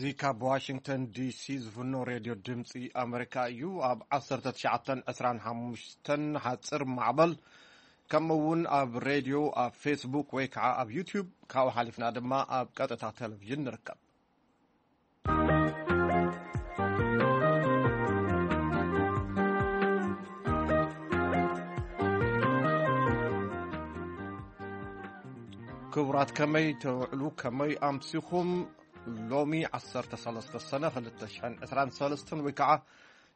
እዚ ካብ ዋሽንግተን ዲሲ ዝፍኖ ሬድዮ ድምፂ ኣመሪካ እዩ። ኣብ ዓሰርተ ትሽዓተን ዕስራን ሓሙሽተን ሓፂር ማዕበል፣ ከምኡ እውን ኣብ ሬድዮ፣ ኣብ ፌስቡክ ወይ ከዓ ኣብ ዩቲዩብ፣ ካብኡ ሓሊፍና ድማ ኣብ ቀጥታ ቴሌቪዥን ንርከብ። ክቡራት፣ ከመይ ተውዕሉ፣ ከመይ ኣምሲኹም? ሎሚ ዓሰርተ ሰለስተ ሰነ ክልተ ሽሕን ዕስራን ሰለስተን ወይ ከዓ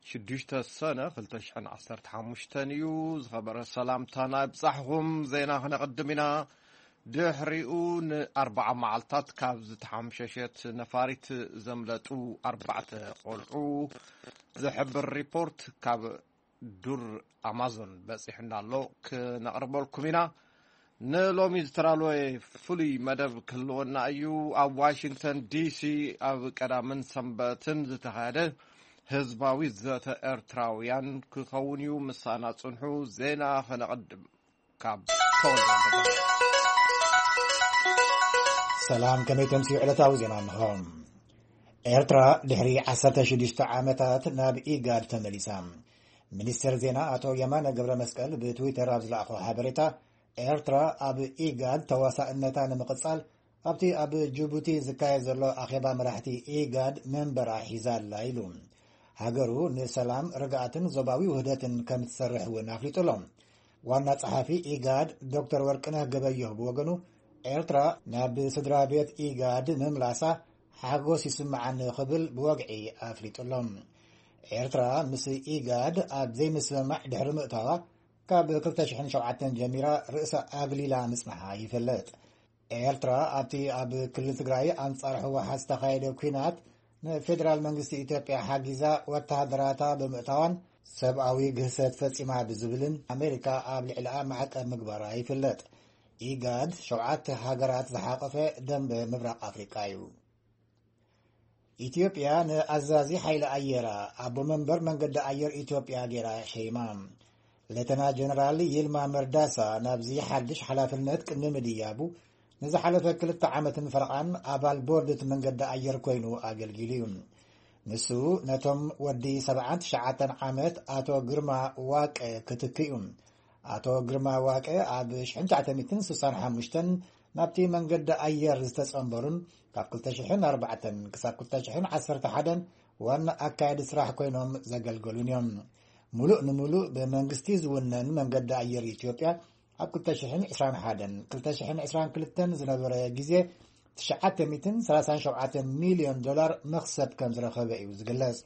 ሽዱሽተ ሰነ ክልተ ሽሕን ዓሰርተ ሓሙሽተን እዩ። ዝኸበረ ሰላምታና ይብጻሕኹም። ዜና ክነቕድም ኢና። ድሕሪኡ ንኣርባዓ መዓልታት ካብ ዝተሓምሸሸት ነፋሪት ዘምለጡ ኣርባዕተ ቆልዑ ዝሕብር ሪፖርት ካብ ዱር ኣማዞን በጺሑና ኣሎ፣ ክነቕርበልኩም ኢና። ንሎሚ ዝተዳለወ ፍሉይ መደብ ክህልወና እዩ። ኣብ ዋሽንግተን ዲሲ ኣብ ቀዳምን ሰንበትን ዝተኻየደ ህዝባዊ ዘተ ኤርትራውያን ክኸውን እዩ። ምሳና ጽንሑ። ዜና ከነቐድም ካብ ተወልደ ወልደ። ሰላም፣ ከመይ ተምስዩ? ዕለታዊ ዜና እንሆ። ኤርትራ ድሕሪ ዓሰርተ ሽዱሽተ ዓመታት ናብ ኢጋድ ተመሊሳ። ሚኒስትር ዜና ኣቶ የማነ ገብረ መስቀል ብትዊተር ኣብ ዝለኣኾ ሓበሬታ፣ ኤርትራ ኣብ ኢጋድ ተዋሳእነታ ንምቕጻል ኣብቲ ኣብ ጅቡቲ ዝካየድ ዘሎ ኣኼባ መራሕቲ ኢጋድ መንበራ ሒዛ ኣላ ኢሉ። ሃገሩ ንሰላም፣ ርግኣትን ዞባዊ ውህደትን ከም ትሰርሕ እውን ኣፍሊጡ ኣሎ። ዋና ጸሓፊ ኢጋድ ዶክተር ወርቅነህ ገበየሁ ብወገኑ፣ ኤርትራ ናብ ስድራ ቤት ኢጋድ ምምላሳ ሓጎስ ይስምዓኒ ክብል ብወግዒ ኣፍሊጡ ኣሎ። ኤርትራ ምስ ኢጋድ ኣብ ዘይምስምማዕ ድሕሪ ምእታዋ፣ ካብ ክልተ ሽሕን ሸውዓተን ጀሚራ ርእሳ ኣግሊላ ምጽንሓ ይፍለጥ። ኤርትራ ኣብቲ ኣብ ክልል ትግራይ ኣንጻር ህወሓት ዝተኻየደ ኲናት ንፌደራል መንግስቲ ኢትዮጵያ ሓጊዛ ወተሃደራታ ብምእታዋን ሰብኣዊ ግህሰት ፈጺማ ብዝብልን ኣሜሪካ ኣብ ልዕሊኣ ማዕቀብ ምግባራ ይፍለጥ። ኢጋድ ሸውዓተ ሃገራት ዝሓቆፈ ደንበ ምብራቕ ኣፍሪቃ እዩ። ኢትዮጵያ ንኣዛዚ ሓይሊ ኣየራ ኣቦ መንበር መንገዲ ኣየር ኢትዮጵያ ገይራ ሸይማ። ሌተና ጀነራል ይልማ መርዳሳ ናብዚ ሓድሽ ሓላፍነት ቅድሚ ምድያቡ፣ ንዝሓለፈ ክልተ ዓመትን ፈረቓን ኣባል ቦርድ እቲ መንገዲ ኣየር ኮይኑ ኣገልጊሉ እዩ። ንሱ ነቶም ወዲ ሰብዓን ትሽዓተን ዓመት ኣቶ ግርማ ዋቀ ክትክ እዩ። ኣቶ ግርማ ዋቀ ኣብ ሽሕን ትሽዓተ ሚእትን ስሳን ሓሙሽተን ናብቲ መንገዲ ኣየር ዝተጸንበሩን ካብ ክልተ ሽሕን ኣርባዕተን ክሳብ ክልተ ሽሕን ዓሰርተ ሓደን ዋና ኣካያዲ ስራሕ ኮይኖም ዘገልገሉን እዮም። ሙሉእ ንሙሉእ ብመንግስቲ ዝውነን መንገዲ ኣየር ኢትዮጵያ ኣብ ክልተ ሽሕን ዕስራን ሓደን ክልተ ሽሕን ዕስራን ክልተን ዝነበረ ግዜ ትሽዓተ ሚእትን ሰላሳን ሸውዓተን ሚልዮን ዶላር መኽሰብ ከም ዝረኸበ እዩ ዝግለጽ።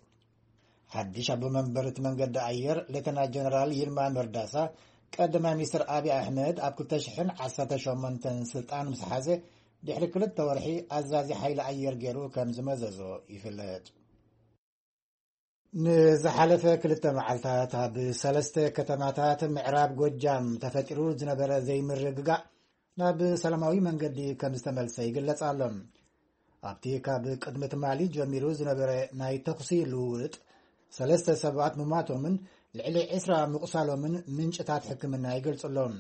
ሓድሽ ኣቦ መንበር እቲ መንገዲ ኣየር ሌተና ጀነራል ይልማ መርዳሳ፣ ቀዳማይ ሚኒስትር ኣብይ ኣሕመድ ኣብ ክልተ ሽሕን ዓሰርተ ሸሞንተን ስልጣን ምስ ሓዘ ድሕሪ ክልተ ወርሒ ኣዛዚ ሓይሊ ኣየር ገይሩ ከም ዝመዘዞ ይፍለጥ። ንዝሓለፈ ክልተ መዓልታት ኣብ ሰለስተ ከተማታት ምዕራብ ጎጃም ተፈጢሩ ዝነበረ ዘይምርግጋእ ናብ ሰላማዊ መንገዲ ከም ዝተመልሰ ይግለጽ ኣሎ። ኣብቲ ካብ ቅድሚ ትማሊ ጀሚሩ ዝነበረ ናይ ተኹሲ ልውውጥ፣ ሰለስተ ሰባት ምሟቶምን ልዕሊ ዕስራ ምቑሳሎምን ምንጭታት ሕክምና ይገልጹ ኣለዉ።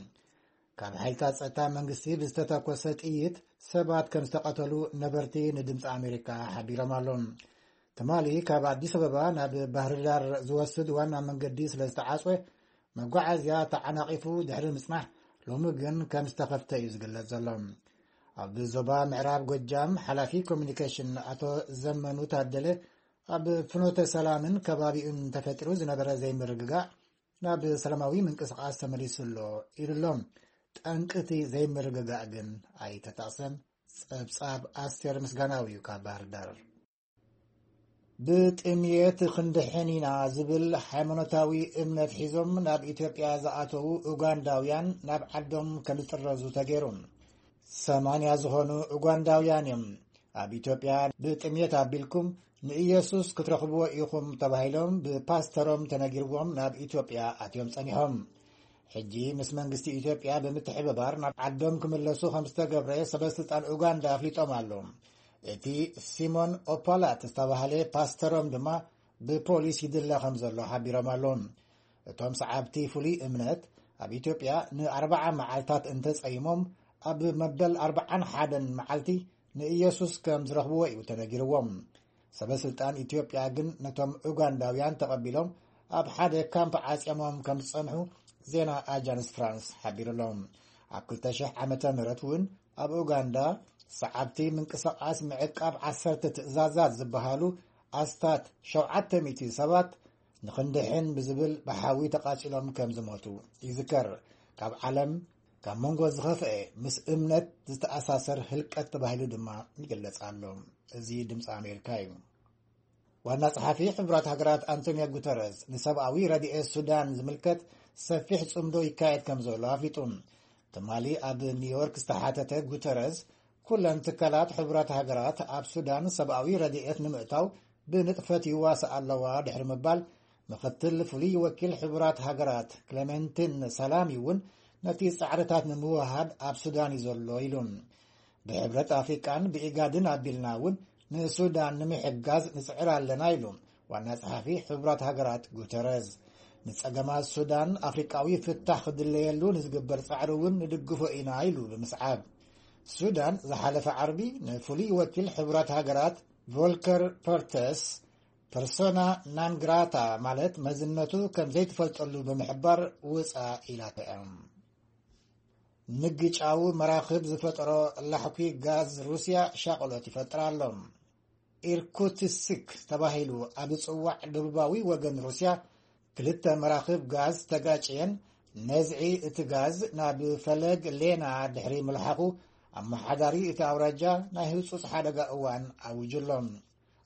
ካብ ሓይልታት ጸጥታ መንግስቲ ብዝተተኮሰ ጥይት ሰባት ከም ዝተቐተሉ ነበርቲ ንድምፂ ኣሜሪካ ሓቢሮም ኣለዉ። ትማሊ ካብ ኣዲስ ኣበባ ናብ ባህርዳር ዝወስድ ዋና መንገዲ ስለ ዝተዓጽወ፣ መጓዓዝያ ተዓናቒፉ ድሕሪ ምጽናሕ፣ ሎሚ ግን ከም ዝተኸፍተ እዩ ዝግለጽ ዘሎ። ኣብ ዞባ ምዕራብ ጎጃም ሓላፊ ኮሚኒኬሽን ኣቶ ዘመኑ ታደለ፣ ኣብ ፍኖተ ሰላምን ከባቢኡን ተፈጢሩ ዝነበረ ዘይምርግጋእ ናብ ሰላማዊ ምንቅስቓስ ተመሊሱ ኣሎ ኢሉ ኣሎ። ጠንቂ እቲ ዘይምርግጋእ ግን ኣይተጠቕሰን። ጸብጻብ ኣስቴር ምስጋናዊ እዩ ካብ ባህር ዳር። ብጥምየት ክንድሕን ኢና ዝብል ሃይማኖታዊ እምነት ሒዞም ናብ ኢትዮጵያ ዝኣተዉ ኡጋንዳውያን ናብ ዓዶም ከም ዝጥረዙ ተገይሩ። ሰማንያ ዝኾኑ ኡጋንዳውያን እዮም ኣብ ኢትዮጵያ ብጥምየት ኣቢልኩም ንኢየሱስ ክትረኽብዎ ኢኹም ተባሂሎም ብፓስተሮም ተነጊርዎም ናብ ኢትዮጵያ ኣትዮም ጸኒሖም። ሕጂ ምስ መንግስቲ ኢትዮጵያ ብምትሕብባር ናብ ዓዶም ክምለሱ ከም ዝተገብረ ሰበስልጣን ኡጋንዳ ኣፍሊጦም ኣለዉ። እቲ ሲሞን ኦፓላት ዝተባህለ ፓስተሮም ድማ ብፖሊስ ይድለ ከም ዘሎ ሓቢሮም ኣለዉ። እቶም ሰዓብቲ ፍሉይ እምነት ኣብ ኢትዮጵያ ንኣርብዓ መዓልታት እንተጸይሞም፣ ኣብ መበል ኣርብዓን ሓደን መዓልቲ ንኢየሱስ ከም ዝረኽብዎ እዩ ተነጊርዎም። ሰበ ስልጣን ኢትዮጵያ ግን ነቶም ኡጋንዳውያን ተቐቢሎም ኣብ ሓደ ካምፕ ዓጽዮሞም ከም ዝጸንሑ ዜና ኣጃንስ ፍራንስ ሓቢሩ ኣሎ። ኣብ ክልተ ሽሕ ዓመተ ምህረት እውን ኣብ ኡጋንዳ ሰዓብቲ ምንቅስቓስ ምዕቃብ ዓሰርተ ትእዛዛት ዝበሃሉ ኣስታት ሸውዓተ ሚእቲ ሰባት ንኽንድሕን ብዝብል ብሓዊ ተቓጺሎም ከም ዝሞቱ ይዝከር። ካብ ዓለም ካብ መንጎ ዝኸፍአ ምስ እምነት ዝተኣሳሰር ህልቀት ተባሂሉ ድማ ይግለጽ ኣሎ። እዚ ድምፂ ኣሜሪካ እዩ። ዋና ጸሓፊ ሕቡራት ሃገራት ኣንቶኒዮ ጉተረዝ ንሰብኣዊ ረድኤት ሱዳን ዝምልከት ሰፊሕ ጽምዶ ይካየድ ከም ዘሎ ኣፍሊጡ። ትማሊ ኣብ ኒውዮርክ ዝተሓተተ ጉተረዝ፣ ኩለን ትካላት ሕቡራት ሃገራት ኣብ ሱዳን ሰብኣዊ ረድኤት ንምእታው ብንጥፈት ይዋስኣ ኣለዋ ድሕሪ ምባል፣ ምኽትል ፍሉይ ወኪል ሕቡራት ሃገራት ክለመንቲን ሳላሚ እውን ነቲ ጻዕርታት ንምውሃድ ኣብ ሱዳን እዩ ዘሎ ኢሉ። ብሕብረት ኣፍሪቃን ብኢጋድን ኣቢልና እውን ንሱዳን ንምሕጋዝ ንጽዕር ኣለና ኢሉ ዋና ጸሓፊ ሕቡራት ሃገራት ጉተረዝ። ንጸገማት ሱዳን ኣፍሪቃዊ ፍታሕ ክድለየሉ ንዝግበር ጻዕሪ እውን ንድግፎ ኢና ኢሉ ብምስዓብ፣ ሱዳን ዝሓለፈ ዓርቢ ንፍሉይ ወኪል ሕቡራት ሃገራት ቮልከር ፐርተስ ፐርሶና ናንግራታ ማለት መዝነቱ ከም ዘይትፈልጠሉ ብምሕባር ውፃ ኢላቶ እያ። ምግጫው መራኽብ ዝፈጠሮ ላሕኩ ጋዝ ሩስያ ሻቕሎት ይፈጥር ኣሎ። ኢርኩትስክ ተባሂሉ ኣብ ዝጽዋዕ ደቡባዊ ወገን ሩስያ ክልተ መራኽብ ጋዝ ተጋጭየን፣ ነዝዒ እቲ ጋዝ ናብ ፈለግ ሌና ድሕሪ ምልሓኹ፣ ኣመሓዳሪ እቲ ኣውራጃ ናይ ህጹጽ ሓደጋ እዋን ኣዊጁ ኣሎ።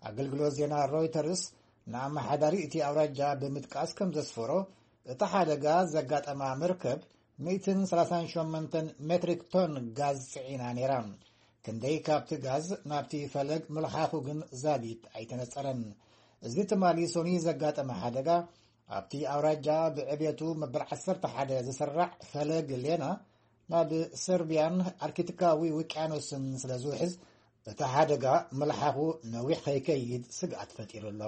ኣገልግሎት ዜና ሮይተርስ ንኣመሓዳሪ እቲ ኣውራጃ ብምጥቃስ ከም ዘስፈሮ፣ እቲ ሓደጋ ዘጋጠማ መርከብ ሚእትን ሰላሳን ሸሞንተን ሜትሪክ ቶን ጋዝ ጽዒና ነይራ። ክንደይ ካብቲ ጋዝ ናብቲ ፈለግ ምልሓኹ ግን ዛጊት ኣይተነጸረን። እዚ ትማሊ ሶኒ ዘጋጠመ ሓደጋ ኣብቲ ኣውራጃ ብዕቤቱ መበል ዓሰርተ ሓደ ዝስራዕ ፈለግ ሌና ናብ ሰርቢያን ኣርክቲካዊ ውቅያኖስን ስለ ዝውሕዝ፣ እቲ ሓደጋ ምልሓኹ ነዊሕ ከይከይድ ስግኣት ፈጢሩ ኣሎ።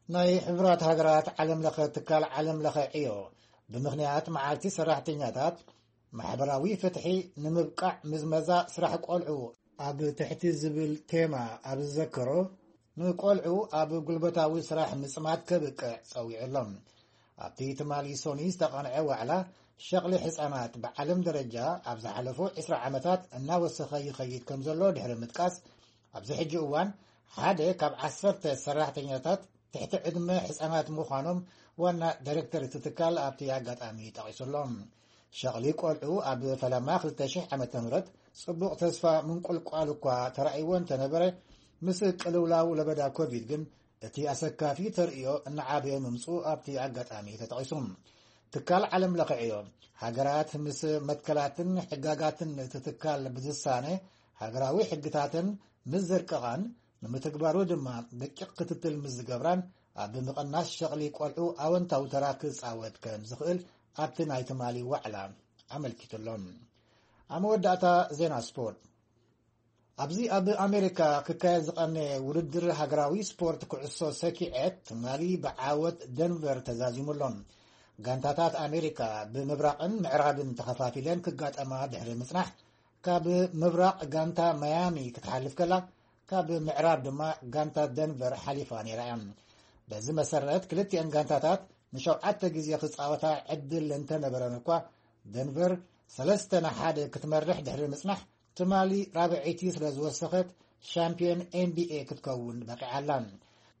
ናይ ሕቡራት ሃገራት ዓለም ለኸ ትካል ዓለም ለኸ ዕዮ ብምኽንያት መዓልቲ ሰራሕተኛታት ማሕበራዊ ፍትሒ ንምብቃዕ ምዝመዛ ስራሕ ቆልዑ ኣብ ትሕቲ ዝብል ቴማ ኣብ ዝዘከሮ፣ ንቆልዑ ኣብ ጉልበታዊ ስራሕ ምጽማድ ከብቅዕ ጸዊዑ ኣሎ። ኣብቲ ትማሊ ሶኒ ዝተቐንዐ ዋዕላ፣ ሸቕሊ ህጻናት ብዓለም ደረጃ ኣብ ዝሓለፉ ዕስራ ዓመታት እናወሰኸ ይኸይድ ከም ዘሎ ድሕሪ ምጥቃስ፣ ኣብዚ ሕጂ እዋን ሓደ ካብ ዓሰርተ ሰራሕተኛታት ትሕቲ ዕድመ ህጻናት ምዃኖም ዋና ዳይሬክተር እቲ ትካል ኣብቲ ኣጋጣሚ ጠቒሱ ኣሎ። ሸቕሊ ቆልዑ ኣብ ፈለማ ክልተ ሽሕ ዓመተ ምህረት ጽቡቕ ተስፋ ምንቁልቋል እኳ ተራእይዎ እንተነበረ፣ ምስ ቅልውላው ለበዳ ኮቪድ ግን እቲ ኣሰካፊ ተርእዮ እናዓበየ ምምጽኡ ኣብቲ ኣጋጣሚ ተጠቒሱ። ትካል ዓለም ለኸ ዕዮ፣ ሃገራት ምስ መትከላትን ሕጋጋትን እቲ ትካል ብዝሳነ ሃገራዊ ሕግታትን ምስ ዘርቀቓን፣ ንምትግባሩ ድማ ደቂቕ ክትትል ምስ ዝገብራን፣ ኣብ ምቕናስ ሸቕሊ ቆልዑ ኣወንታዊ ተራ ክጻወት ከም ዝኽእል ኣብቲ ናይ ትማሊ ዋዕላ ኣመልኪቱ ኣሎ። ኣብ መወዳእታ ዜና ስፖርት። ኣብዚ ኣብ ኣሜሪካ ክካየድ ዝቐነየ ውድድር ሃገራዊ ስፖርት ኩዕሶ ሰኪዔት ትማሊ ብዓወት ደንቨር ተዛዚሙ ኣሎ። ጋንታታት ኣሜሪካ ብምብራቕን ምዕራብን ተኸፋፊለን ክጋጠማ ድሕሪ ምጽናሕ፣ ካብ ምብራቕ ጋንታ ማያሚ ክትሓልፍ ከላ፣ ካብ ምዕራብ ድማ ጋንታ ደንቨር ሓሊፋ ነይራ እያ። በዚ መሰረት ክልቲአን ጋንታታት ንሸውዓተ ግዜ ክጻወታ ዕድል እንተነበረን እኳ፣ ደንቨር ሰለስተ ንሓደ ክትመርሕ ድሕሪ ምጽናሕ፣ ትማሊ ራብዐይቲ ስለ ዝወሰኸት ሻምፒዮን ኤን ቢ ኤ ክትከውን በቂዓ ኣላ።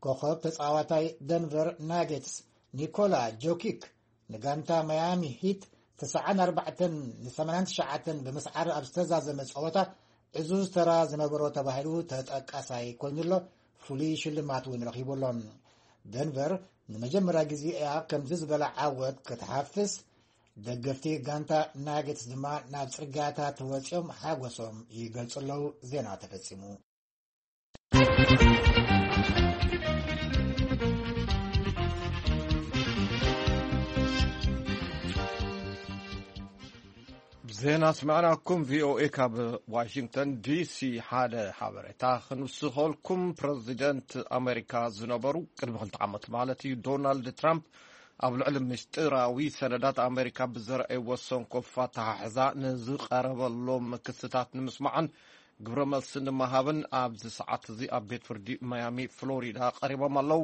ኮኸብ ተጻዋታይ ደንቨር ናጌትስ ኒኮላ ጆኪክ ንጋንታ ማያሚ ሂት ተስዓን ኣርባዕተን ን ሰማንያን ትሽዓተን ብምስዓር ኣብ ዝተዛዘመ ጸወታ ዕዙዝ ተራ ዝነበሮ ተባሂሉ ተጠቃሳይ ኮይኑሎ፣ ፍሉይ ሽልማት እውን ረኺቡሎ። ደንቨር ንመጀመርያ ግዜ እያ ከምዚ ዝበለ ዓወት ክትሓፍስ። ደገፍቲ ጋንታ ናጌትስ ድማ ናብ ጽርግያታት ወጺኦም ሓጎሶም ይገልጹ ኣለዉ። ዜና ተፈጺሙ። ዜና ስማዕናኩም፣ ቪ ኦ ኤ ካብ ዋሽንግተን ዲ ሲ። ሓደ ሓበሬታ ክንውስኸልኩም። ፕረዚደንት ኣሜሪካ ዝነበሩ ቅድሚ ክልተ ዓመት ማለት እዩ፣ ዶናልድ ትራምፕ ኣብ ልዕሊ ምስጢራዊ ሰነዳት ኣሜሪካ ብዘርኣይዎ ሰንኮፍ ኣተሓሕዛ ንዝቐረበሎም ክስታት ንምስማዕን ግብረ መልሲ ንምሃብን ኣብዚ ሰዓት እዚ ኣብ ቤት ፍርዲ ማያሚ ፍሎሪዳ ቀሪቦም ኣለዉ።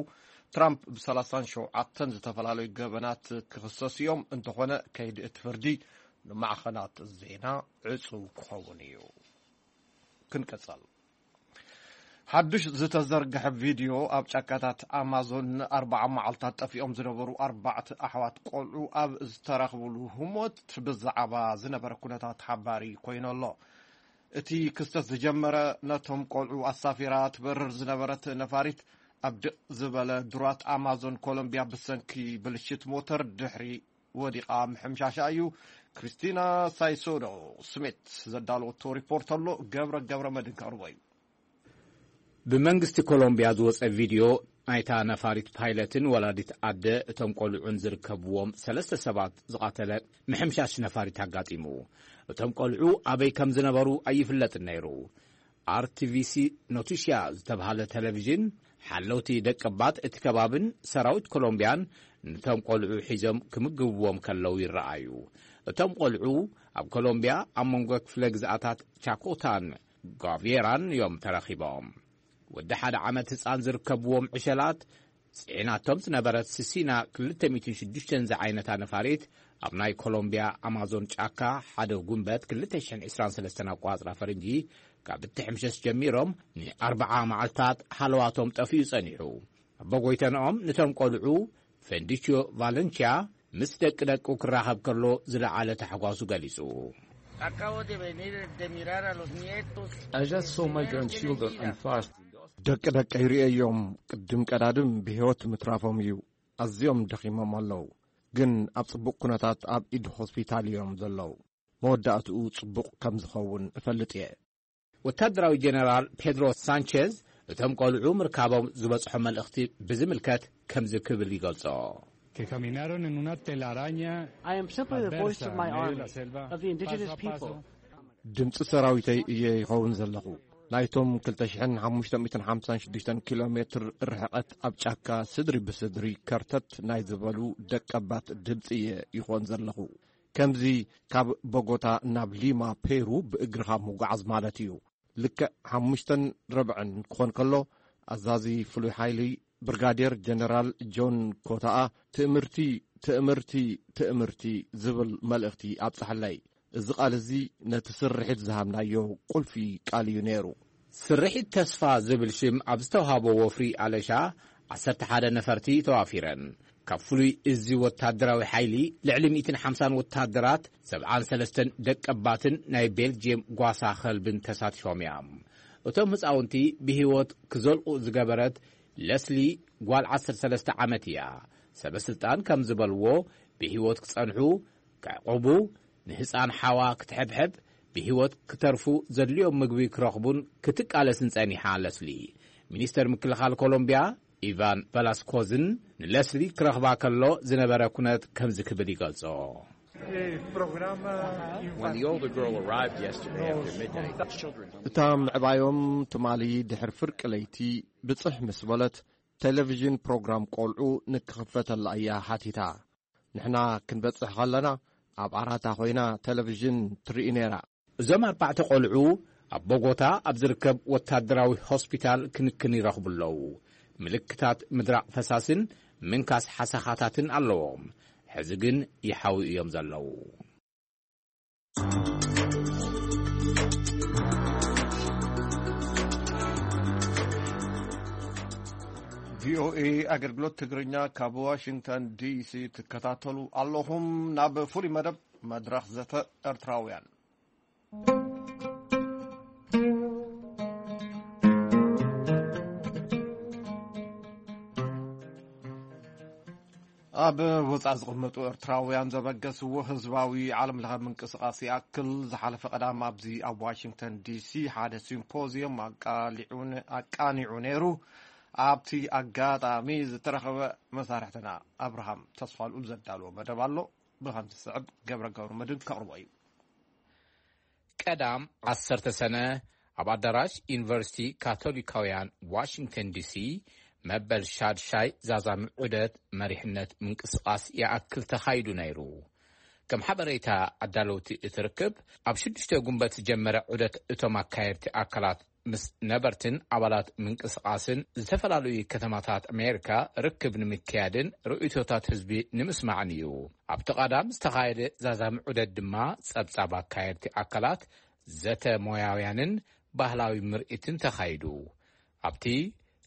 ትራምፕ ብ ሰላሳን ሸውዓተን ዝተፈላለዩ ገበናት ክኽሰሱ እዮም። እንተኾነ ከይዲ እቲ ፍርዲ ንማዕኸናት ዜና ዕጹው ክኸውን እዩ። ክንቅጽል። ሓዱሽ ዝተዘርግሐ ቪድዮ ኣብ ጫካታት ኣማዞን ንኣርባዓ መዓልታት ጠፊኦም ዝነበሩ ኣርባዕተ ኣሕዋት ቆልዑ ኣብ ዝተረኽብሉ ህሞት ብዛዕባ ዝነበረ ኩነታት ሓባሪ ኮይኑ ኣሎ። እቲ ክስተት ዝጀመረ ነቶም ቆልዑ ኣሳፊራ ትበርር ዝነበረት ነፋሪት ኣብ ድቕ ዝበለ ዱራት ኣማዞን ኮሎምቢያ ብሰንኪ ብልሽት ሞተር ድሕሪ ወዲቓ ምሕምሻሻ እዩ። ክሪስቲና ሳይሶዶ ስሚት ዘዳለወቶ ሪፖርት ኣሎ። ገብረ ገብረ መድን ከቕርቦ እዩ። ብመንግስቲ ኮሎምቢያ ዝወጸ ቪድዮ ናይታ ነፋሪት ፓይለትን ወላዲት ኣደ እቶም ቆልዑን ዝርከብዎም ሰለስተ ሰባት ዝቐተለ ምሕምሻሽ ነፋሪት ኣጋጢሙ። እቶም ቆልዑ ኣበይ ከም ዝነበሩ ኣይፍለጥን ነይሩ። ኣርቲቪሲ ኖቲሽያ ዝተብሃለ ቴሌቪዥን ሓለውቲ ደቀባት እቲ ከባብን ሰራዊት ኮሎምቢያን ነቶም ቆልዑ ሒዞም ክምግብዎም ከለዉ ይረኣዩ። እቶም ቆልዑ ኣብ ኮሎምቢያ ኣብ መንጎ ክፍለ ግዝኣታት ቻኮታን ጓቬራን እዮም ተረኺቦም። ወዲ ሓደ ዓመት ህጻን ዝርከብዎም ዕሸላት ጽዒናቶም ዝነበረት ስሲና ክልተ ሚእትን ሽዱሽተን ዝዓይነታ ነፋሪት ኣብ ናይ ኮሎምቢያ ኣማዞን ጫካ ሓደ ጉንበት ክልተ ሽሕን ዕስራን ሰለስተን ኣቋጽራ ፈረንጂ ካብ እትሕምሸሽ ጀሚሮም ንኣርብዓ መዓልታት ሃለዋቶም ጠፊኡ ጸኒሑ። ኣቦጎይተንኦም ንቶም ቆልዑ ፈንዲችዮ ቫለንቺያ ምስ ደቂ ደቁ ክራኸብ ከሎ ዝለዓለ ታሕጓሱ ገሊጹ። Acabo de venir de mirar a los nietos. I just saw my grandchildren and fast. ደቂ ደቀይ ርእየዮም ቅድም ቀዳድም ብህይወት ምትራፎም እዩ። ኣዝዮም ደኺሞም ኣለዉ፣ ግን ኣብ ጽቡቕ ኩነታት ኣብ ኢድ ሆስፒታል እዮም ዘለዉ። መወዳእትኡ ጽቡቕ ከም ዝኸውን እፈልጥ እየ። ወታደራዊ ጀነራል ፔድሮ ሳንቸዝ እቶም ቆልዑ ምርካቦም ዝበጽሖ መልእኽቲ ብዝምልከት ከምዚ ክብል ይገልጾ። Que caminaron en una telaraña. I am simply the voice of my army, of the indigenous people. ድምፂ ሰራዊተይ እየ ይኸውን ዘለኹ። ናይቶም ክልተ ሽሕን ሓሙሽተ ሚእትን ሓምሳን ሽዱሽተን ኪሎ ሜትር ርሕቐት ኣብ ጫካ ስድሪ ብስድሪ ከርተት ናይ ዝበሉ ደቀባት ድምፂ እየ ይኾን ዘለኹ። ከምዚ ካብ ቦጎታ ናብ ሊማ ፔሩ ብእግርኻ ምጉዓዝ ማለት እዩ። ልክዕ ሓሙሽተን ረብዕን ክኾን ከሎ ኣዛዚ ፍሉይ ሓይሊ ብርጋዴር ጀነራል ጆን ኮታኣ ትእምርቲ ትእምርቲ ትእምርቲ ዝብል መልእኽቲ ኣብጽሐለይ። እዚ ቃል እዚ ነቲ ስርሒት ዝሃብናዮ ቁልፊ ቃል እዩ ነይሩ። ስርሒት ተስፋ ዝብል ሽም ኣብ ዝተውሃቦ ወፍሪ ኣለሻ ዓሰርተ ሓደ ነፈርቲ ተዋፊረን። ካብ ፍሉይ እዚ ወታደራዊ ሓይሊ ልዕሊ ሚእትን ሓምሳን ወታደራት ሰብዓን ሰለስተን ደቀባትን ናይ ቤልጅየም ጓሳ ኸልብን ተሳቲፎም እዮም። እቶም ህፃውንቲ ብህይወት ክዘልቑ ዝገበረት ለስሊ ጓል ዓሰርተ ሰለስተ ዓመት እያ። ሰበ ስልጣን ከም ዝበልዎ ብህይወት ክጸንሑ ክዕቁቡ፣ ንህፃን ሓዋ ክትሕብሕብ፣ ብህይወት ክተርፉ ዘድልዮም ምግቢ ክረኽቡን ክትቃለስን ጸኒሓ ለስሊ። ሚኒስተር ምክልኻል ኮሎምቢያ ኢቫን ቨላስኮዝን ንለስሊ ክረኽባ ከሎ ዝነበረ ኩነት ከምዚ ክብል ይገልጾ። When the older girl arrived yesterday after midnight, the children እታ ምዕባዮም ትማሊ ድሕሪ ፍርቂ ለይቲ ብጽሕ ምስ በለት ቴሌቪዥን ፕሮግራም ቆልዑ ንክኽፈተላ እያ ሓቲታ። ንሕና ክንበጽሕ ከለና ኣብ ዓራታ ኮይና ቴሌቪዥን ትርኢ ነይራ። እዞም ኣርባዕተ ቆልዑ ኣብ ቦጎታ ኣብ ዝርከብ ወታደራዊ ሆስፒታል ክንክን ይረኽቡ ኣለዉ። ምልክታት ምድራቕ ፈሳስን ምንካስ ሓሰኻታትን ኣለዎም። ሕዚ ግን ይሓዊ እዮም ዘለዉ። ቪኦኤ ኣገልግሎት ትግርኛ ካብ ዋሽንግተን ዲሲ ትከታተሉ ኣለኹም። ናብ ፍሉይ መደብ መድረኽ ዘተ ኤርትራውያን። ኣብ ወጻኢ ዝቕመጡ ኤርትራውያን ዘበገስዎ ህዝባዊ ዓለም ለኸ ምንቅስቓስ ይኣክል ዝሓለፈ ቀዳም ኣብዚ ኣብ ዋሽንግተን ዲሲ ሓደ ሲምፖዚየም ኣቃሊዑ ነ- ኣቃኒዑ ነይሩ። ኣብቲ ኣጋጣሚ ዝተረኸበ መሳርሕትና ኣብርሃም ተስፋልኡል ዘዳለዎ መደብ ኣሎ። ብኸምዚ ዝስዕብ ገብረ ገብረ መድን ከቕርቦ እዩ። ቀዳም ዓሰርተ ሰነ ኣብ ኣዳራሽ ዩኒቨርሲቲ ካቶሊካውያን ዋሽንግተን ዲሲ መበል ሻድሻይ ዛዛሚ ዑደት መሪሕነት ምንቅስቓስ ይኣክል ተኻይዱ ነይሩ። ከም ሓበሬታ ኣዳለውቲ እቲ ርክብ፣ ኣብ ሽዱሽተ ጉንበት ዝጀመረ ዑደት እቶም ኣካየድቲ ኣካላት ምስ ነበርትን ኣባላት ምንቅስቓስን ዝተፈላለዩ ከተማታት ኣሜሪካ ርክብ ንምክያድን ርእይቶታት ህዝቢ ንምስማዕን እዩ። ኣብቲ ቀዳም ዝተኻየደ ዛዛሚ ዑደት ድማ ጸብጻብ ኣካየድቲ ኣካላት፣ ዘተ ሞያውያንን ባህላዊ ምርኢትን ተኻይዱ። ኣብቲ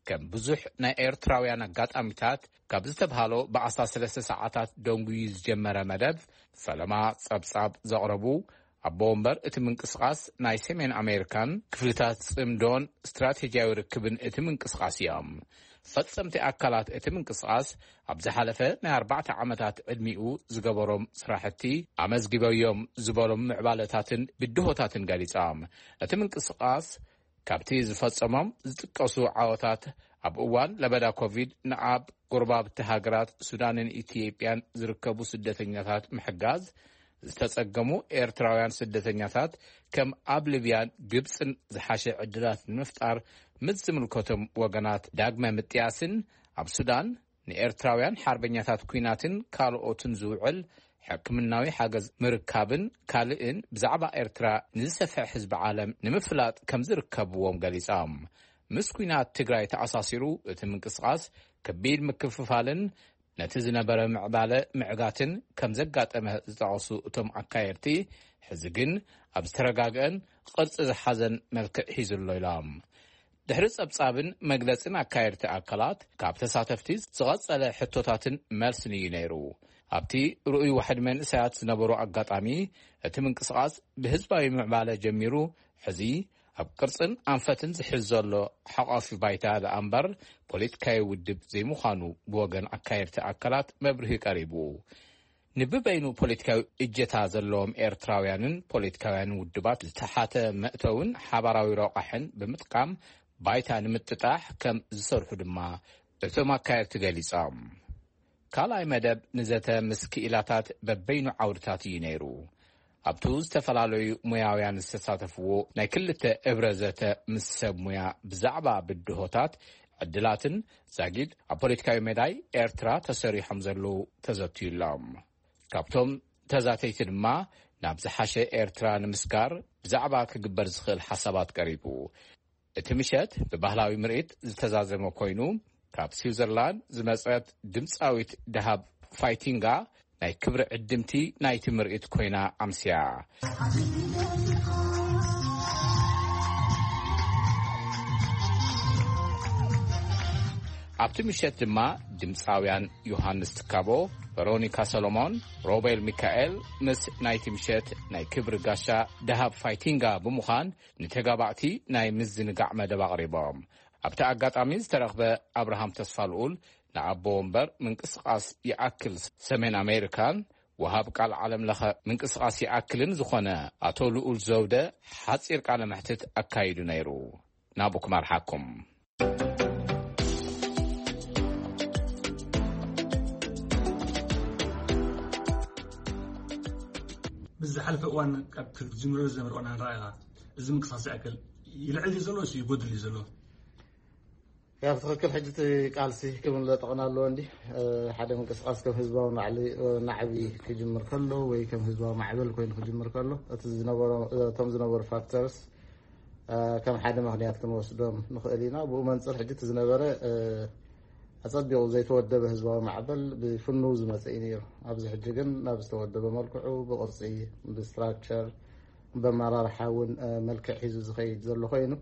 ከም ብዙሕ ናይ ኤርትራውያን ኣጋጣሚታት ካብ ዝተብሃሎ ብዓሰርተ ሰለስተ ሰዓታት ደንጉዩ ዝጀመረ መደብ፣ ፈለማ ጸብጻብ ዘቕረቡ ኣቦ ወንበር እቲ ምንቅስቓስ፣ ናይ ሰሜን ኣሜሪካን ክፍልታት ጽምዶን ስትራቴጂያዊ ርክብን እቲ ምንቅስቓስ እዮም። ፈጸምቲ ኣካላት እቲ ምንቅስቓስ ኣብ ዝሓለፈ ናይ ኣርባዕተ ዓመታት ዕድሚኡ ዝገበሮም ስራሕቲ ኣመዝጊበዮም ዝበሎም ምዕባለታትን ብድሆታትን ገሊጾም። እቲ ምንቅስቓስ ካብቲ ዝፈጸሞም ዝጥቀሱ ዓወታት፣ ኣብ እዋን ለበዳ ኮቪድ ንኣብ ጎረባብቲ ሃገራት ሱዳንን ኢትዮጵያን ዝርከቡ ስደተኛታት ምሕጋዝ፣ ዝተጸገሙ ኤርትራውያን ስደተኛታት ከም ኣብ ሊብያን ግብጽን ዝሓሸ ዕድላት ንምፍጣር ምስ ዝምልከቶም ወገናት ዳግመ ምጥያስን ኣብ ሱዳን ንኤርትራውያን ሓርበኛታት ኲናትን ካልኦትን ዝውዕል ሕክምናዊ ሓገዝ ምርካብን ካልእን ብዛዕባ ኤርትራ ንዝሰፍሐ ህዝቢ ዓለም ንምፍላጥ ከም ዝርከብዎም ገሊጾም። ምስ ኲናት ትግራይ ተኣሳሲሩ እቲ ምንቅስቓስ ከቢድ ምክፍፋልን ነቲ ዝነበረ ምዕባለ ምዕጋትን ከም ዘጋጠመ ዝጠቐሱ እቶም ኣካየድቲ፣ ሕዚ ግን ኣብ ዝተረጋግአን ቅርጺ ዝሓዘን መልክዕ ሒዙ ኣሎ ኢሎም። ድሕሪ ጸብጻብን መግለጽን ኣካየድቲ ኣካላት፣ ካብ ተሳተፍቲ ዝቐጸለ ሕቶታትን መልስን እዩ ነይሩ። ኣብቲ ርኡይ ዋሕዲ መንእሰያት ዝነበሩ ኣጋጣሚ፣ እቲ ምንቅስቓስ ብህዝባዊ ምዕባለ ጀሚሩ፣ ሕዚ ኣብ ቅርጽን ኣንፈትን ዝሕዝ ዘሎ ሓቋፊ ባይታ ደኣ እምበር፣ ፖለቲካዊ ውድብ ዘይምዃኑ ብወገን ኣካየድቲ ኣካላት መብርሂ ቀሪቡ። ንብበይኑ ፖለቲካዊ እጀታ ዘለዎም ኤርትራውያንን ፖለቲካውያንን ውድባት ዝተሓተ መእተውን ሓባራዊ ረቋሕን ብምጥቃም ባይታ ንምጥጣሕ ከም ዝሰርሑ ድማ እቶም ኣካየድቲ ገሊጾም። ካልኣይ መደብ ንዘተ ምስ ክኢላታት በበይኑ ዓውድታት እዩ ነይሩ። ኣብቱ ዝተፈላለዩ ሞያውያን ዝተሳተፍዎ ናይ ክልተ እብረ ዘተ ምስ ሰብ ሙያ ብዛዕባ ብድሆታት፣ ዕድላትን ዛጊድ ኣብ ፖለቲካዊ ሜዳይ ኤርትራ ተሰሪሖም ዘለዉ ተዘትዩሎም። ካብቶም ተዛተይቲ ድማ ናብ ዝሓሸ ኤርትራ ንምስጋር ብዛዕባ ክግበር ዝኽእል ሓሳባት ቀሪቡ። እቲ ምሸት ብባህላዊ ምርኢት ዝተዛዘመ ኮይኑ፣ ካብ ስዊዘርላንድ ዝመጸት ድምጻዊት ደሃብ ፋይቲንጋ ናይ ክብሪ ዕድምቲ ናይቲ ምርኢት ኮይና ኣምስያ። ኣብቲ ምሸት ድማ ድምጻውያን ዮሃንስ ትካቦ፣ ቨሮኒካ ሰሎሞን፣ ሮቤል ሚካኤል ምስ ናይቲ ምሸት ናይ ክብሪ ጋሻ ደሃብ ፋይቲንጋ ብምዃን ንተጋባእቲ ናይ ምዝንጋዕ መደብ ኣቕሪቦም። ኣብቲ ኣጋጣሚ ዝተረኽበ ኣብርሃም ተስፋልኡል ንኣቦ ወንበር ምንቅስቓስ ይኣክል ሰሜን ኣሜሪካን ወሃብ ቃል ዓለም ለኸ ምንቅስቓስ ይኣክልን ዝኾነ ኣቶ ልኡል ዘውደ ሓጺር ቃለ መሕትት ኣካይዱ ነይሩ። ናብኡ ክመርሓኩም። ብዝሓለፈ እዋን ካብ ክትጅምሮ ዝነበረ እዋን ንረኣኻ፣ እዚ ምንቅስቃስ ይኣክል ይልዕል እዩ ዘሎ፣ ይጎድል እዩ ዘሎ? ያው ትኽክል። ሕጂ እቲ ቃልሲ ክብል ለጠቕና ኣለዎ እንዲ ሓደ ምንቅስቃስ ከም ህዝባዊ ናዕሊ ናዕቢ ክጅምር ከሎ ወይ ከም ህዝባዊ ማዕበል ኮይኑ ክጅምር ከሎ እቲ ዝነበሮ እቶም ዝነበሩ ፋክተርስ ከም ሓደ ምክንያት ክንወስዶም ንኽእል ኢና። ብኡ መንፅር ሕጂ እቲ ዝነበረ ኣፀቢቑ ዘይተወደበ ህዝባዊ ማዕበል ብፍኑው ዝመፀ እዩ ነይሩ። ኣብዚ ሕጂ ግን ናብ ዝተወደበ መልክዑ ብቅርፂ ብስትራክቸር ብኣመራርሓ እውን መልክዕ ሒዙ ዝኸይድ ዘሎ ኮይኑ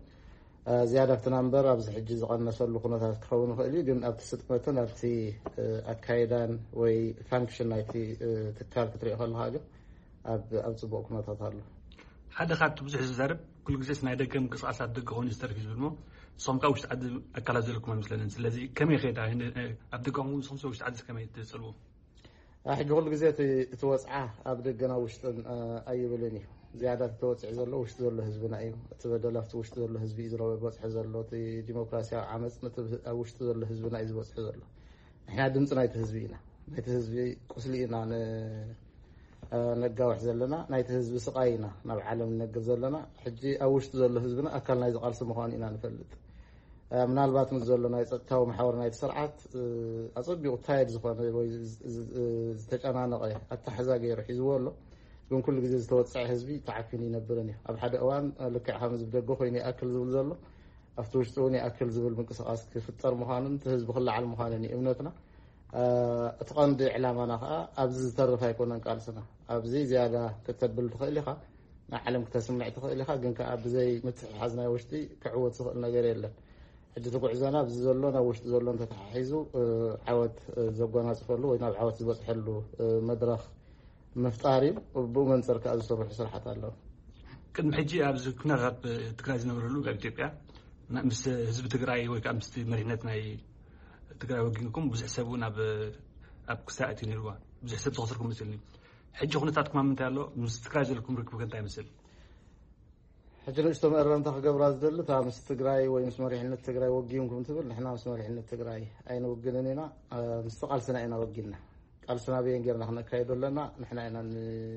ዝያዳ ኣብቲ ናምበር ኣብዚ ሕጂ ዝቐነሰሉ ኩነታት ክኸውን ይኽእል እዩ። ግን ኣብቲ ስጥመትን ኣብቲ ኣካይዳን ወይ ፋንክሽን ናይቲ ትካል ክትሪኦ ከለካ ግን ኣብ ኣብ ፅቡቅ ኩነታት ኣሎ። ሓደ ካብቲ ብዙሕ ዝዛረብ ኩሉ ግዜስ ናይ ደገ ምንቅስቃሳት ደገ ኮይኑ ዝተርፍ እዩ ዝብል እሞ ንስኹም ካብ ውሽጢ ዓዲ ኣካላት ዘለኩም ኣይመስለንን። ስለዚ ከመይ ከይዳ ኣብ ደገኹም ንስኹም ውሽጢ ዓዲ ከመይ ትፅልዎ? ሕጂ ኩሉ ግዜ እቲ እቲ ወፅዓ ኣብ ደገን ኣብ ውሽጥን ኣይብልን እዩ። ዝያዳ እቲ ተወፂዑ ዘሎ ውሽጢ ዘሎ ህዝብና እዩ። እቲ በደል ኣብቲ ውሽጢ ዘሎ ህዝቢ እዩ ዝበፅሐ ዘሎ። እቲ ዲሞክራሲያዊ ዓመፅ ነቲ ኣብ ውሽጢ ዘሎ ህዝብና እዩ ዝበፅሑ ዘሎ። ንሕና ድምፂ ናይቲ ህዝቢ ኢና። ናይቲ ህዝቢ ቁስሊ ኢና ነጋውሕ ዘለና። ናይቲ ህዝቢ ስቃይ ኢና ናብ ዓለም ንነግር ዘለና። ሕጂ ኣብ ውሽጢ ዘሎ ህዝብና ኣካል ናይዚ ቃልሲ ምዃኑ ኢና ንፈልጥ። ምናልባት ምስ ዘሎ ናይ ጸጥታዊ መሓወር ናይቲ ስርዓት ኣጸቢቑ ታየድ ዝኾነ ወይ ዝተጨናነቐ ኣተሓሕዛ ገይሩ ሒዝዎ ኣሎ። ግን ኩሉ ግዜ ዝተወፀዐ ህዝቢ ተዓፊኑ ይነብርን እዩ። ኣብ ሓደ እዋን ልክዕ ከም ህዝቢ ደገ ኮይኑ ይኣክል ዝብል ዘሎ ኣብቲ ውሽጢ እውን ይኣክል ዝብል ምንቅስቃስ ክፍጠር ምዃኑን እቲ ህዝቢ ክለዓል ምዃኑን እዩ እምነትና። እቲ ቀንዲ ዕላማና ከዓ ኣብዚ ዝተርፍ ኣይኮነን ቃልስና። ኣብዚ ዝያዳ ክተብል ትኽእል ኢኻ፣ ንዓለም ክተስምዕ ትኽእል ኢኻ፣ ግን ከዓ ብዘይ ምትሕሓዝ ናይ ውሽጢ ክዕወት ዝኽእል ነገር የለን። ሕጂ እቲ ጉዕዞና ኣብዚ ዘሎ ናብ ውሽጢ ዘሎ እንተተሓሒዙ ዓወት ዘጎናፅፈሉ ወይ ናብ ዓወት ዝበፅሐሉ መድረኽ ምፍጣር እዩ። ብኡ መንፅር ከዓ ዝስርሑ ስራሕት ኣለዉ። ቅድሚ ሕጂ ኣብዚ ኩነታት ትግራይ ዝነበረሉ ኣብ ኢትዮጵያ ምስ ህዝቢ ትግራይ ወይ ከዓ ምስ መሪሕነት ናይ ትግራይ ወጊንኩም ብዙሕ ሰብ እውን ኣብ ክሳእ ኣትዩ ነይርዋ፣ ብዙሕ ሰብ ዝኸሰርኩም መስልኒ። ሕጂ ኩነታትኩም ኣብ ምንታይ ኣሎ? ምስ ትግራይ ዘለኩም ርክብ ከ እንታይ ይመስል? ሕጂ ንእሽቶ መእረምታ ክገብራ ዝደሊ እታ ምስ ትግራይ ወይ ምስ መሪሕነት ትግራይ ወጊንኩም ትብል፣ ንሕና ምስ መሪሕነት ትግራይ ኣይንውግንን ኢና። ምስቲ ቃልስና ኢና ወጊንና። ቃልስና በየን ጌርና ክነካይዶ ኣለና? ንሕና ኢና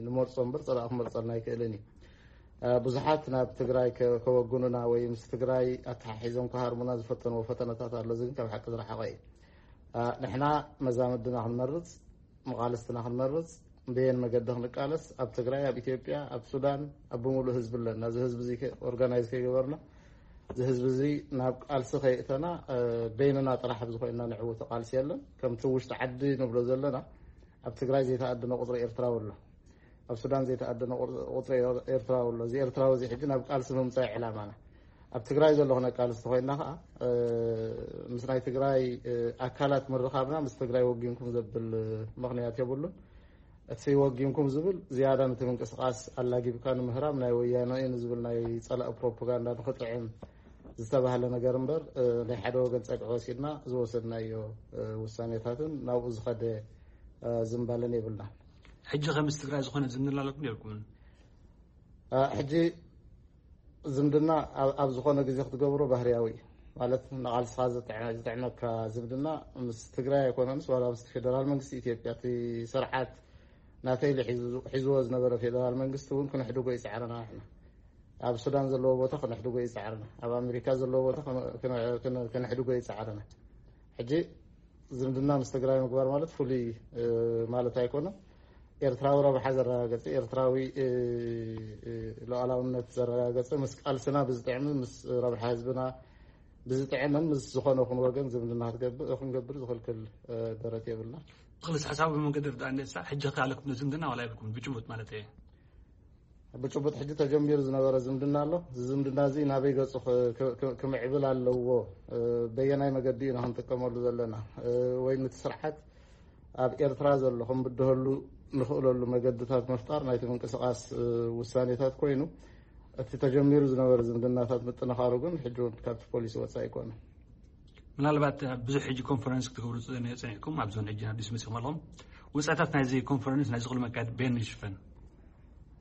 ንመርፆ እምበር ፀላእ ክመርፀልና ኣይክእልን እዩ። ብዙሓት ናብ ትግራይ ከወግኑና ወይ ምስ ትግራይ ኣተሓሒዞም ክሃርሙና ዝፈተንዎ ፈተነታት ኣሎ። እዚ ግን ካብ ሓቂ ዝረሓቐ እዩ። ንሕና መዛምድና ክንመርፅ፣ መቓልስትና ክንመርፅ፣ በየን መገዲ ክንቃለስ፣ ኣብ ትግራይ፣ ኣብ ኢትዮጵያ፣ ኣብ ሱዳን፣ ኣብ ብምሉእ ህዝቢ ኣለና። እዚ ህዝቢ እዚ ኦርጋናይዝ ከይገበርና፣ እዚ ህዝቢ እዚ ናብ ቃልሲ ከይእተና፣ በይንና ጥራሕ ኣብዚ ኮይንና ንዕውቶ ቃልሲ የለን። ከምቲ ውሽጢ ዓዲ ንብሎ ዘለና፣ ኣብ ትግራይ ዘይተኣደነ ቁፅሪ ኤርትራዊ ኣሎ። ኣብ ሱዳን ዘይተኣደነ ቁፅሪ ኤርትራዊ ኣሎ። እዚ ኤርትራዊ እዚ ሕጂ ናብ ቃልሲ ምምፃእ ዕላማና። ኣብ ትግራይ ዘሎ ክነቃልስ ተኮይንና ከዓ ምስ ናይ ትግራይ ኣካላት ምርኻብና ምስ ትግራይ ወጊንኩም ዘብል ምክንያት የብሉን። እቲ ወጊንኩም ዝብል ዝያዳ ነቲ ምንቅስቃስ ኣላጊብካ ንምህራም ናይ ወያነ እዩ ንዝብል ናይ ፀላኢ ፕሮፓጋንዳ ንክጥዕም ዝተባህለ ነገር እምበር ናይ ሓደ ወገን ፀግዒ ወሲድና ዝወሰድናዮ ውሳኔታትን ናብኡ ዝኸደ ዝንባለን የብልና። ሕጂ ከ ምስ ትግራይ ዝኾነ ዝምድና ኣለኩም የብልኩምን? ሕጂ ዝምድና ኣብ ዝኾነ ግዜ ክትገብሮ ባህርያዊ እዩ። ማለት ንቓልስኻ ዝጥዕመካ ዝምድና ምስ ትግራይ ኣይኮነንስ ዋላ ምስ ፌደራል መንግስቲ ኢትዮጵያ እቲ ስርዓት ናተይሊ ሒዝዎ ዝነበረ ፌደራል መንግስቲ እውን ክነሕድጎ ይፅዕረና። ንሕና ኣብ ሱዳን ዘለዎ ቦታ ክነሕድጎ ይፅዕረና፣ ኣብ ኣሜሪካ ዘለዎ ቦታ ክነሕድጎ ይፅዕረና። ሕጂ ዝምድና ምስ ትግራይ ምግባር ማለት ፍሉይ ማለት ኣይኮነን። ኤርትራዊ ረብሓ ዘረጋገፀ፣ ኤርትራዊ ሉዓላውነት ዘረጋገፀ፣ ምስ ቃልስና ብዝጥዕምን ምስ ረብሓ ህዝብና ብዝጥዕምን ምስ ዝኾነ ኹን ወገን ዝምድና ክትገብር ክንገብር ዝኽልክል ደረት የብልና። ብክልስ ሓሳቡ ብመንገዲ ርዳእ እንዴሳ ሕጂ ከ ኣለኩም ዝምድና ዋላ የብልኩም ብጭቡጥ ማለት እየ። ብጭቡጥ ሕጂ ተጀሚሩ ዝነበረ ዝምድና ኣሎ። እዚ ዝምድና እዚ ናበይ ገፁ ክምዕብል ኣለዎ? በየናይ መገዲ ኢና ክንጥቀመሉ ዘለና? ወይ ነቲ ስርዓት ኣብ ኤርትራ ዘሎ ክንብድሀሉ ንኽእለሉ መገድታት ምፍጣር ናይቲ ምንቅስቃስ ውሳኔታት ኮይኑ፣ እቲ ተጀሚሩ ዝነበረ ዝምድናታት ምጥንኻሩ ግን ሕጂ እውን ካብቲ ፖሊሲ ወፃኢ ኣይኮነን። ምናልባት ብዙሕ ሕጂ ኮንፈረንስ ክትገብሩ ፀኒሕኩም ኣብዞን ሕጂ ኣዲስ መፅኹም ኣለኹም። ውፅኢታት ናይዚ ኮንፈረንስ ናይዚ ኩሉ መካየዲ በየን ይሽፈን?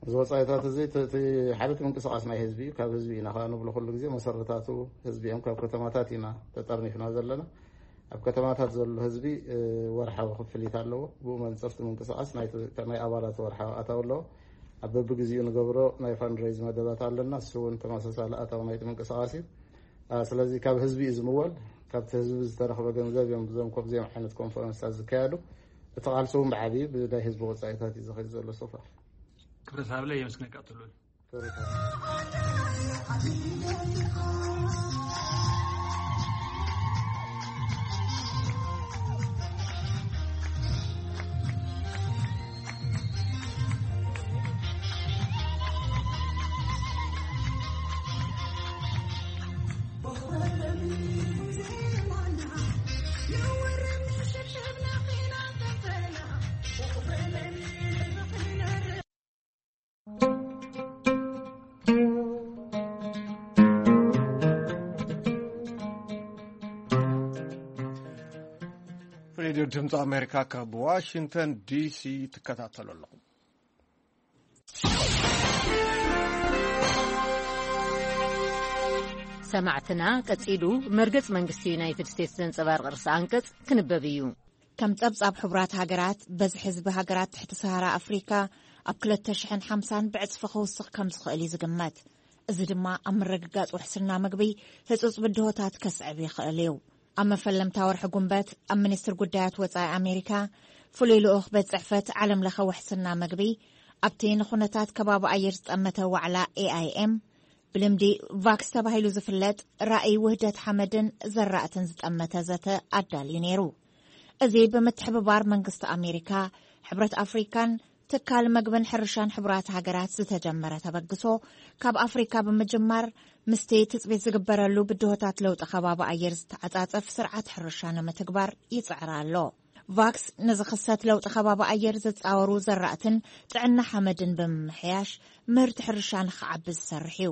እዚ ወፃኢታት እዚ እቲ ሓደ እቲ ምንቅስቃስ ናይ ህዝቢ እዩ። ካብ ህዝቢ ኢና ከዓ ንብሎ ኩሉ ግዜ መሰረታቱ ህዝቢ እዮም። ካብ ከተማታት ኢና ተጠርኒፍና ዘለና። ኣብ ከተማታት ዘሎ ህዝቢ ወርሓዊ ክፍሊት ኣለዎ። ብኡ መንፅር እቲ ምንቅስቃስ ናይ ኣባላት ወርሓዊ ኣታዊ ኣለዎ። ኣብ በብግዜኡ ንገብሮ ናይ ፋንድሬዝ መደባት ኣለና። እሱ እውን ተመሳሳሊ ኣታዊ ናይቲ ምንቅስቃስ እዩ። ስለዚ ካብ ህዝቢ እዩ ዝምወል። ካብቲ ህዝቢ ዝተረኽበ ገንዘብ እዮም እዞም ከምዚኦም ዓይነት ኮንፈረንስታት ዝካየዱ። እቲ ቃልሲ እውን ብዓብዪ ብናይ ህዝቢ ወፃኢታት እዩ ዝኸይድ ዘሎ ሶፋር። ክብረት ሃብለ የመስግነካ ትሉል። ሬድዮ ድምፂ ኣሜሪካ ካብ ዋሽንግተን ዲሲ ትከታተሉ ኣለኹም። ሰማዕትና፣ ቀጺሉ መርገጽ መንግስቲ ዩናይትድ ስቴትስ ዘንጸባርቕ ርእሰ ኣንቀጽ ክንበብ እዩ። ከም ጸብጻብ ሕቡራት ሃገራት፣ በዝሒ ህዝቢ ሃገራት ትሕቲ ሰሃራ ኣፍሪካ ኣብ ክልተ ሽሕን ሓምሳን ብዕጽፊ ክውስኽ ከም ዝኽእል እዩ ዝግመት። እዚ ድማ ኣብ ምርግጋጽ ውሕስና ምግቢ ህጹጽ ብድሆታት ከስዕብ ይኽእል እዩ። ኣብ መፈለምታ ወርሒ ጉንበት ኣብ ሚኒስትር ጉዳያት ወጻኢ ኣሜሪካ ፍሉይ ልኡኽ ቤት ጽሕፈት ዓለም ለኸ ውሕስና ምግቢ ኣብቲ ንኹነታት ከባቢ ኣየር ዝጠመተ ዋዕላ ኤኣይኤም፣ ብልምዲ ቫክስ ተባሂሉ ዝፍለጥ ራእይ ውህደት ሓመድን ዘራእትን ዝጠመተ ዘተ ኣዳልዩ ነይሩ። እዚ ብምትሕብባር መንግስቲ ኣሜሪካ፣ ሕብረት ኣፍሪካን ትካል መግብን ሕርሻን ሕቡራት ሃገራት ዝተጀመረ ተበግሶ፣ ካብ ኣፍሪካ ብምጅማር ምስቲ ትጽቢት ዝግበረሉ ብድሆታት ለውጢ ከባቢ ኣየር ዝተዓጻጸፍ ስርዓት ሕርሻ ንምትግባር ይጽዕር ኣሎ። ቫክስ ንዝኽሰት ለውጢ ከባቢ ኣየር ዝጻወሩ ዘራእትን ጥዕና ሓመድን ብምምሕያሽ ምህርቲ ሕርሻ ንኽዓቢ ዝሰርሕ እዩ።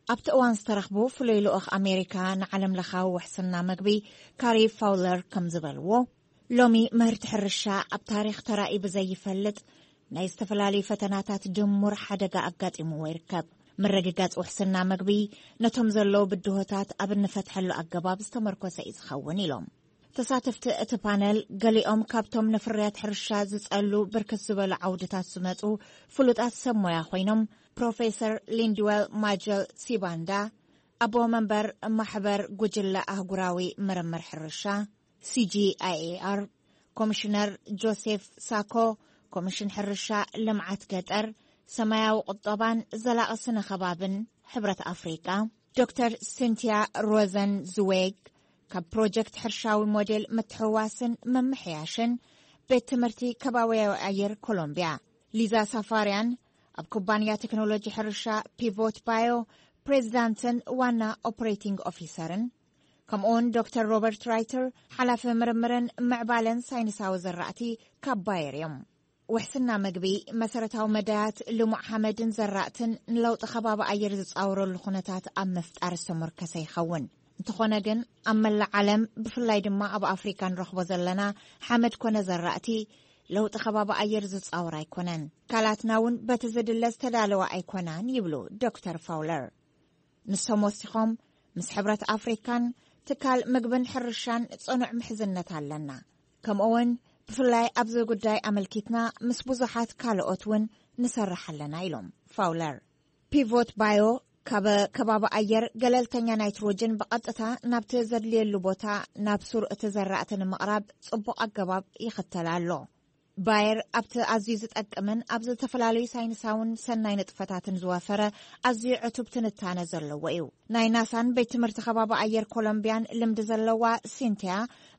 ኣብቲ እዋን ዝተረኽቡ ፍሉይ ልኡኽ ኣሜሪካ ንዓለም ለኻዊ ውሕስና መግቢ ካሪ ፋውለር ከም ዝበልዎ፣ ሎሚ ምህርቲ ሕርሻ ኣብ ታሪኽ ተራእዩ ብዘይፈልጥ ናይ ዝተፈላለዩ ፈተናታት ድሙር ሓደጋ ኣጋጢምዎ ይርከብ። ምርግጋጽ ውሕስና መግቢ ነቶም ዘለዉ ብድሆታት ኣብ እንፈትሐሉ ኣገባብ ዝተመርኮሰ እዩ ዝኸውን ኢሎም። ተሳተፍቲ እቲ ፓነል ገሊኦም ካብቶም ንፍርያት ሕርሻ ዝጸሉ ብርክት ዝበሉ ዓውድታት ዝመጹ ፍሉጣት ሰብ ሞያ ኮይኖም፣ ፕሮፌሰር ሊንድዌል ማጀል ሲባንዳ፣ ኣቦ መንበር ማሕበር ጉጅለ ኣህጉራዊ ምርምር ሕርሻ፣ ሲጂኣይኤኣር፣ ኮሚሽነር ጆሴፍ ሳኮ፣ ኮሚሽን ሕርሻ፣ ልምዓት ገጠር፣ ሰማያዊ ቁጠባን ዘላቒ ስነ ከባብን ሕብረት ኣፍሪቃ፣ ዶክተር ሲንቲያ ሮዘን ዝዌግ፣ ካብ ፕሮጀክት ሕርሻዊ ሞዴል ምትሕውዋስን ምምሕያሽን ቤት ትምህርቲ ከባቢያዊ ኣየር ኮሎምቢያ፣ ሊዛ ሳፋርያን፣ ኣብ ኩባንያ ቴክኖሎጂ ሕርሻ ፒቮት ባዮ ፕሬዚዳንትን ዋና ኦፕሬቲንግ ኦፊሰርን፣ ከምኡውን ዶክተር ሮበርት ራይተር፣ ሓላፊ ምርምርን ምዕባለን ሳይንሳዊ ዘራእቲ ካብ ባየር እዮም። ውሕስና መግቢ፣ መሰረታዊ መዳያት ልሙዕ ሓመድን ዘራእትን ንለውጢ ከባቢ ኣየር ዝጻወረሉ ኩነታት ኣብ ምፍጣር ዝተመርኮሰ ይኸውን። እንተኾነ ግን፣ ኣብ መላእ ዓለም፣ ብፍላይ ድማ ኣብ ኣፍሪካ ንረኽቦ ዘለና ሓመድ ኮነ ዘራእቲ፣ ለውጢ ከባቢ ኣየር ዝጻወር ኣይኮነን። ትካላትና እውን በቲ ዝድለ ዝተዳለዋ ኣይኮናን ይብሉ ዶክተር ፋውለር። ንሶም ወሲኾም፣ ምስ ሕብረት ኣፍሪካን ትካል ምግብን ሕርሻን ጽኑዕ ምሕዝነት ኣለና። ከምኡ እውን ብፍላይ ኣብዚ ጉዳይ ኣመልኪትና ምስ ብዙሓት ካልኦት እውን ንሰርሕ ኣለና ኢሎም ፋውለር። ፒቮት ባዮ ካብ ከባቢ ኣየር ገለልተኛ ናይትሮጅን ብቐጥታ ናብቲ ዘድልየሉ ቦታ ናብ ሱር እቲ ዘራእቲ ንምቕራብ ጽቡቕ ኣገባብ ይኽተል ኣሎ። ባየር ኣብቲ ኣዝዩ ዝጠቅምን ኣብ ዝተፈላለዩ ሳይንሳውን ሰናይ ንጥፈታትን ዝወፈረ ኣዝዩ ዕቱብ ትንታነ ዘለዎ እዩ። ናይ ናሳን ቤት ትምህርቲ ከባቢ ኣየር ኮሎምቢያን ልምዲ ዘለዋ ሲንቲያ፣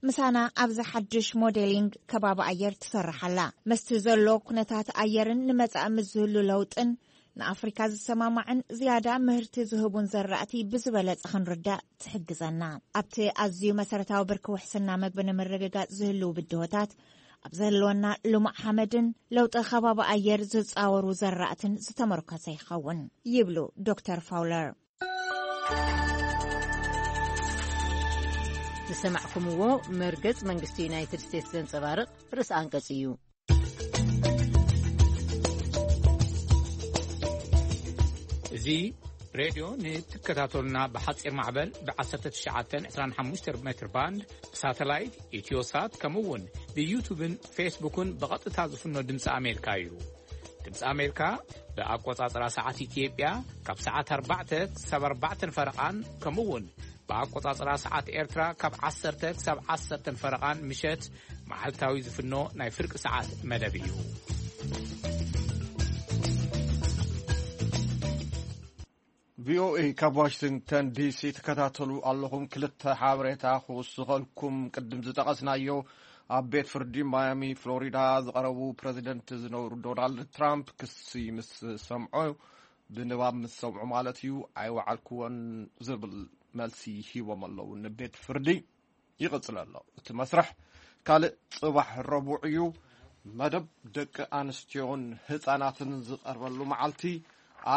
ምሳና ኣብዚ ሓድሽ ሞዴሊንግ ከባቢ ኣየር ትሰርሕ ኣላ። ምስቲ ዘሎ ኩነታት ኣየርን ንመጻኢ ምስ ዝህሉ ለውጥን ንኣፍሪካ ዝሰማማዕን ዝያዳ ምህርቲ ዝህቡን ዘራእቲ ብዝበለጸ ክንርዳእ ትሕግዘና። ኣብቲ ኣዝዩ መሰረታዊ ብርኪ ውሕስና መግቢ ንምርግጋጽ ዝህልዉ ብድሆታት፣ ኣብ ዘለወና ልሙዕ ሓመድን ለውጢ ከባቢ ኣየር ዝጻወሩ ዘራእትን ዝተመርኮሰ ይኸውን ይብሉ ዶክተር ፋውለር። ዝሰማዕኩምዎ መርገጽ መንግስቲ ዩናይትድ ስቴትስ ዘንጸባርቕ ርእሲ ኣንቀጽ እዩ። እዚ ሬድዮ ንትከታተሉና ብሓጺር ማዕበል ብ1925 ሜትር ባንድ፣ ብሳተላይት፣ ኢትዮሳት፣ ከምኡ እውን ብዩቱብን ፌስቡክን ብቐጥታ ዝፍኖ ድምፂ ኣሜሪካ እዩ። ድምፂ ኣሜሪካ ብኣቆጻጽራ ሰዓት ኢትዮጵያ ካብ ሰዓት ኣርባዕተ ክሳብ ኣርባዕተን ፈረቓን፣ ከምኡ እውን ብኣቆጻጽራ ሰዓት ኤርትራ ካብ ዓሰርተ ክሳብ ዓሰርተን ፈረቓን ምሸት መዓልታዊ ዝፍኖ ናይ ፍርቂ ሰዓት መደብ እዩ። ቪኦኤ ካብ ዋሽንግተን ዲሲ ትከታተሉ ኣለኹም። ክልተ ሓበሬታ ክውስኸልኩም። ቅድም ዝጠቐስናዮ፣ ኣብ ቤት ፍርዲ ማያሚ ፍሎሪዳ ዝቐረቡ ፕረዚደንት ዝነበሩ ዶናልድ ትራምፕ ክሲ ምስ ሰምዑ፣ ብንባብ ምስ ሰምዑ ማለት እዩ፣ ኣይወዓልክዎን ዝብል መልሲ ሂቦም ኣለዉ ንቤት ፍርዲ። ይቕጽል ኣሎ እቲ መስርሕ። ካልእ ጽባሕ ረቡዕ እዩ። መደብ ደቂ ኣንስትዮን ህጻናትን ዝቐርበሉ መዓልቲ፣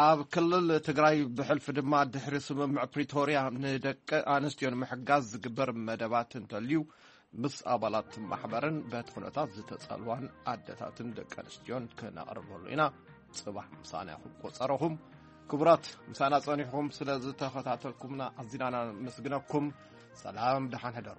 ኣብ ክልል ትግራይ ብሕልፊ ድማ ድሕሪ ስምምዕ ፕሪቶርያ ንደቂ ኣንስትዮን ምሕጋዝ ዝግበር መደባት እንተልዩ፣ ምስ ኣባላት ማሕበርን በቲ ኩነታት ዝተጸልዋን ኣደታትን ደቂ ኣንስትዮን ክነቕርበሉ ኢና። ጽባሕ ምሳና ይኹን ቆጸረኹም። ክቡራት፣ ምሳና ጸኒሕኩም ስለ ዝተኸታተልኩምና ኣዚና ነመስግነኩም። ሰላም፣ ደሓን ሕደሩ።